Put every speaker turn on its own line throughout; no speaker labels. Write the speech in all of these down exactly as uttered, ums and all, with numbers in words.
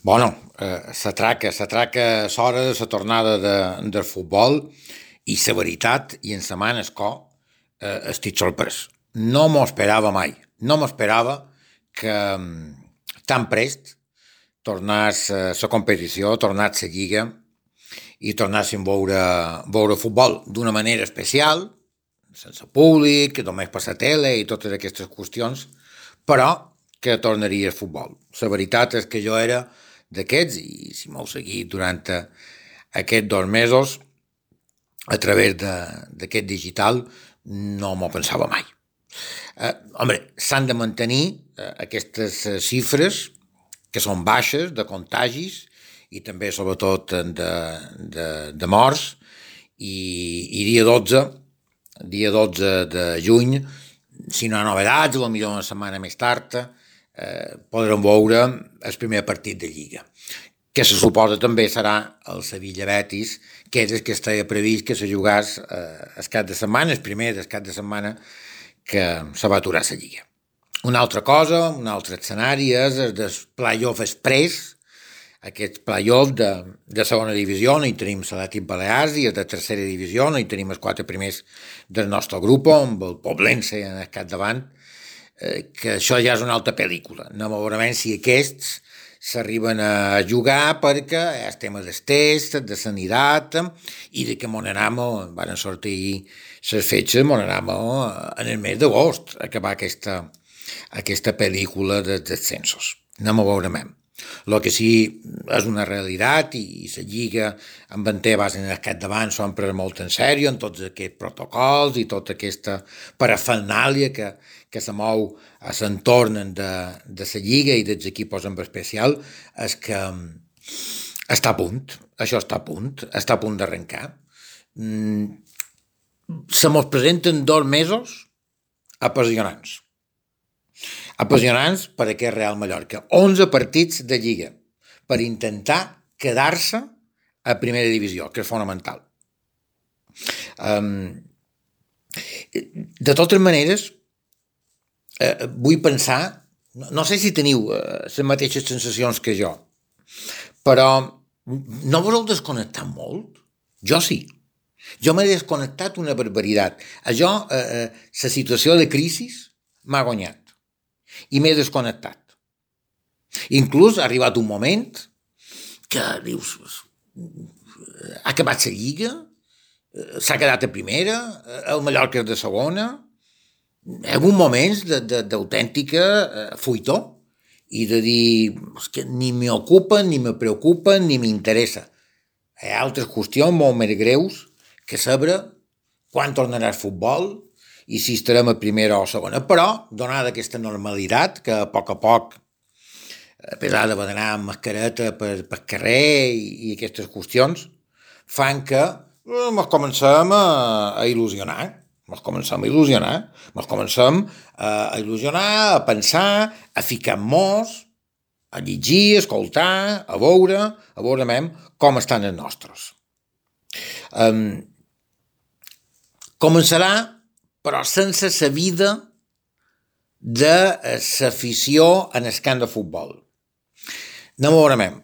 Bueno, eh, s'atraca, s'atraca l'hora de la tornada de, del futbol i la veritat, i en la mà en el cor, eh, estic sorprès. No m'ho esperava mai. No m'esperava que mm, tan prest tornés la competició, tornés la lliga i tornéssim a veure, veure futbol d'una manera especial, sense públic, només per la tele i totes aquestes qüestions, però que tornaria el futbol. La veritat és que jo era d'aquests, i si m'heu seguit durant eh, aquests dos mesos, a través d'aquest digital, no m'ho pensava mai. Eh, home, s'han de mantenir eh, aquestes eh, xifres que són baixes de contagis i també, sobretot, de, de, de morts, i, i dia dotze, dia dotze de juny, si no hi ha novedats, potser una setmana més tard, eh, podrem veure el primer partit de Lliga, que se suposa també serà el Sevilla-Betis, que és el que estava previst que se jugàs eh, el cap de setmana, el primer del cap de setmana que se va aturar la Lliga. Una altra cosa, un altre escenari és el del play-off express, aquest play-off de, de segona divisió, on hi tenim l'Atlètic Balears, i el de tercera divisió, on hi tenim els quatre primers del nostre grup, amb el Poblense en el capdavant, eh, que això ja és una altra pel·lícula. No veurem si aquests s'arriben a jugar perquè és tema del test, de sanitat, i de que mon anamo, van sortir les fetges, mon anamo en el mes d'agost acabar aquesta, aquesta pel·lícula dels descensos. No m'ho veurem. El que sí és una realitat, i la Lliga amb en Tebas en el capdavant s'ho han pres molt en sèrio en tots aquests protocols i tota aquesta parafernàlia que, que se mou a l'entorn de, de la Lliga i dels equips en especial, és que està a punt, això està a punt, està a punt d'arrencar. Mm, se mos presenten dos mesos apassionants. Apassionants per aquest Real Mallorca. onze partits de Lliga per intentar quedar-se a primera divisió, que és fonamental. Um, de totes maneres, eh, vull pensar, no, no sé si teniu eh, les mateixes sensacions que jo, però no vos heu desconnectat molt? Jo sí. Jo m'he desconnectat una barbaritat. Això, eh, la situació de crisi m'ha guanyat i m'he desconnectat. Inclús ha arribat un moment que dius, ha acabat la Lliga, s'ha quedat a primera, el Mallorca és de segona, hi ha hagut moments d'autèntica fuitó i de dir que ni m'ocupa, ni me preocupa, ni m'interessa. Hi ha altres qüestions molt més greus que saber quan tornarà el futbol i si estarem a primera o a segona. Però, donada aquesta normalitat, que a poc a poc, a pesar de d'anar amb mascareta per, per carrer i, i aquestes qüestions, fan que eh, ens comencem a, a il·lusionar. Ens comencem a il·lusionar. Ens comencem a, a il·lusionar, a pensar, a ficar-nos, a llegir, a escoltar, a veure, a veure com estan els nostres. Um, començarà però sense la vida de l'afició en el camp de futbol. No m'ho veurem.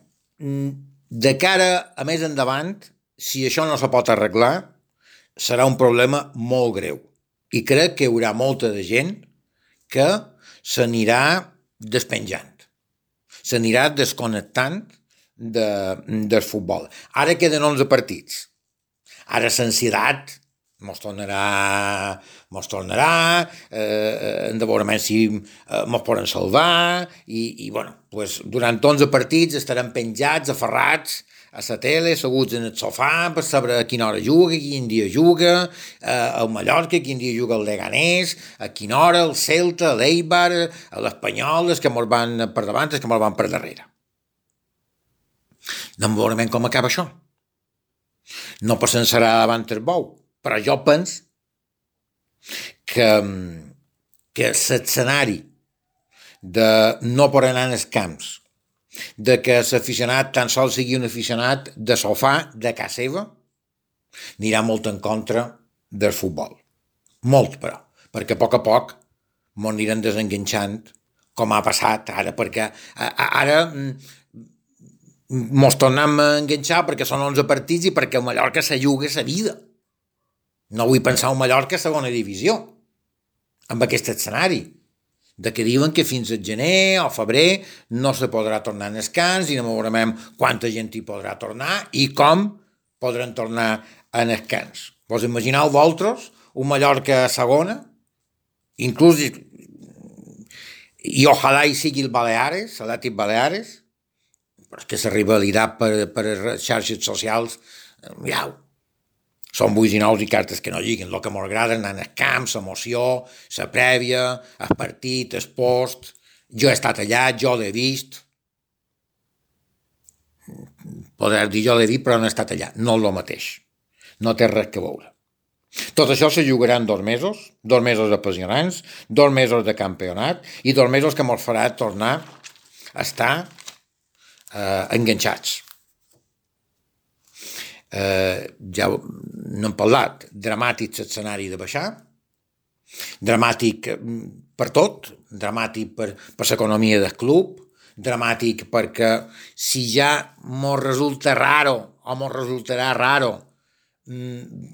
De cara a més endavant, si això no se pot arreglar, serà un problema molt greu. I crec que hi haurà molta de gent que s'anirà despenjant, s'anirà desconnectant de, del futbol. Ara queden onze partits. Ara l'ansietat mos tornarà, mos tornarà, eh, hem de veure si eh, mos poden salvar, i, i bueno, pues, durant onze partits estarem penjats, aferrats a la tele, asseguts en el sofà per saber a quina hora juga, quin dia juga, eh, el Mallorca, quin dia juga el Leganés, a quina hora el Celta, l'Eibar, l'Espanyol, els que mos van per davant, els que mos van per darrere. No veurem com acaba això. No passarà davant el bou. Però jo penso que, que l'escenari de no poder anar als camps, de que l'aficionat tan sols sigui un aficionat de sofà, de casa seva, anirà molt en contra del futbol. Molt, però, perquè a poc a poc m'ho aniran desenganxant, com ha passat ara, perquè ara mos tornem a enganxar perquè són onze partits i perquè el Mallorca se juga sa vida. No vull pensar un Mallorca a segona divisió, amb aquest escenari, de que diuen que fins al gener o febrer no se podrà tornar en descans i no veurem quanta gent hi podrà tornar i com podran tornar en descans. Vos imagineu vosaltres un Mallorca a segona, inclús i ojalà hi sigui el Baleares, l'Atlètic Baleares, però és que la rivalitat per, per les xarxes socials, ja, són buits i nous i cartes que no lliguen. El que m'agrada és anar al camp, l'emoció, la prèvia, el partit, el post. Jo he estat allà, jo l'he vist. Podré dir jo l'he vist, però no he estat allà. No és el mateix. No té res que veure. Tot això se jugarà en dos mesos, dos mesos apassionants, dos mesos de campionat i dos mesos que ens farà tornar a estar eh, enganxats. Eh, ja no hem parlat, dramàtic l'escenari de baixar, dramàtic per tot, dramàtic per, per l'economia del club, dramàtic perquè si ja mos resulta raro o mos resultarà raro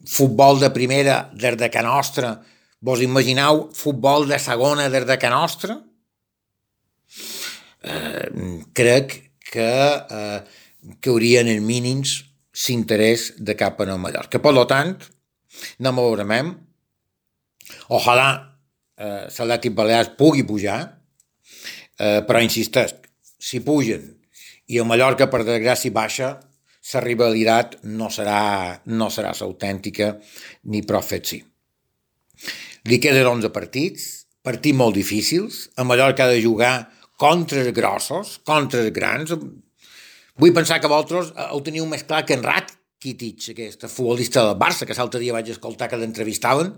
futbol de primera des de Can Nostra, vos imagineu futbol de segona des de Can Nostra? Eh, crec que eh, caurien en mínims l'interès de cap en el Mallorca. Per tant, no m'avorem. Ojalà eh, l'Atlètic Balears pugui pujar, eh, però insisteix, si pugen i el Mallorca per desgràcia baixa, la rivalitat no serà, no serà l'autèntica ni prou fet sí. Li queden onze partits, partits molt difícils, el Mallorca ha de jugar contra els grossos, contra els grans. Vull pensar que vosaltres ho teniu més clar que en Rakitic, aquest futbolista del Barça, que l'altre dia vaig escoltar que l'entrevistaven,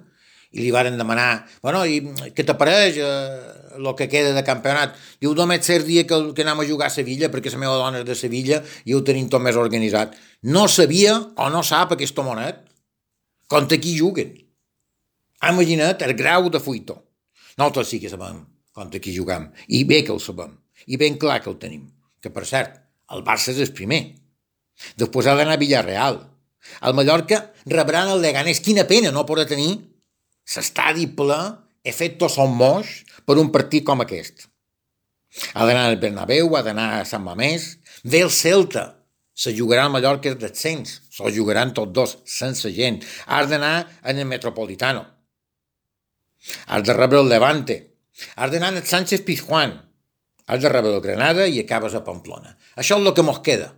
i li varen demanar, bueno, i què t'apareix el eh, que queda de campionat? Diu, només cert dia que, que anem a jugar a Sevilla, perquè la meva dona és de Sevilla i ho tenim tot més organitzat. No sabia o no sap aquest homonet contra qui juguen. Imagina't el grau de fuito. Nosaltres sí que sabem contra qui juguem, i bé que el sabem, i ben clar que el tenim. Que, per cert, el Barça és el primer. Després ha d'anar a Villarreal. El Mallorca rebran el Leganés. Quina pena no podrà tenir l'estadi ple, efecto son moix, per un partit com aquest. Ha d'anar al Bernabéu, ha d'anar a Sant Mamés, ve el Celta, se jugarà al Mallorca del descens, se jugaran tots dos, sense gent. Has d'anar en el Metropolitano, has de rebre el Levante, has d'anar en el Sánchez Pizjuán, has de rebre el Granada i acabes a Pamplona. Això és el que mos queda,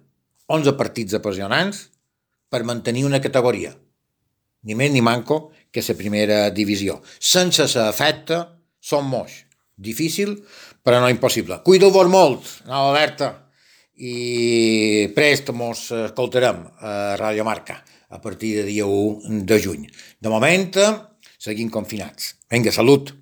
onze partits apassionants per mantenir una categoria. Ni més ni manco que la primera divisió. Sense l'efecte, som moix. Difícil, però no impossible. Cuideu-vos molt, anava alerta, i prest mos escoltarem a Radio Marca a partir de dia u de juny. De moment, seguim confinats. Vinga, salut!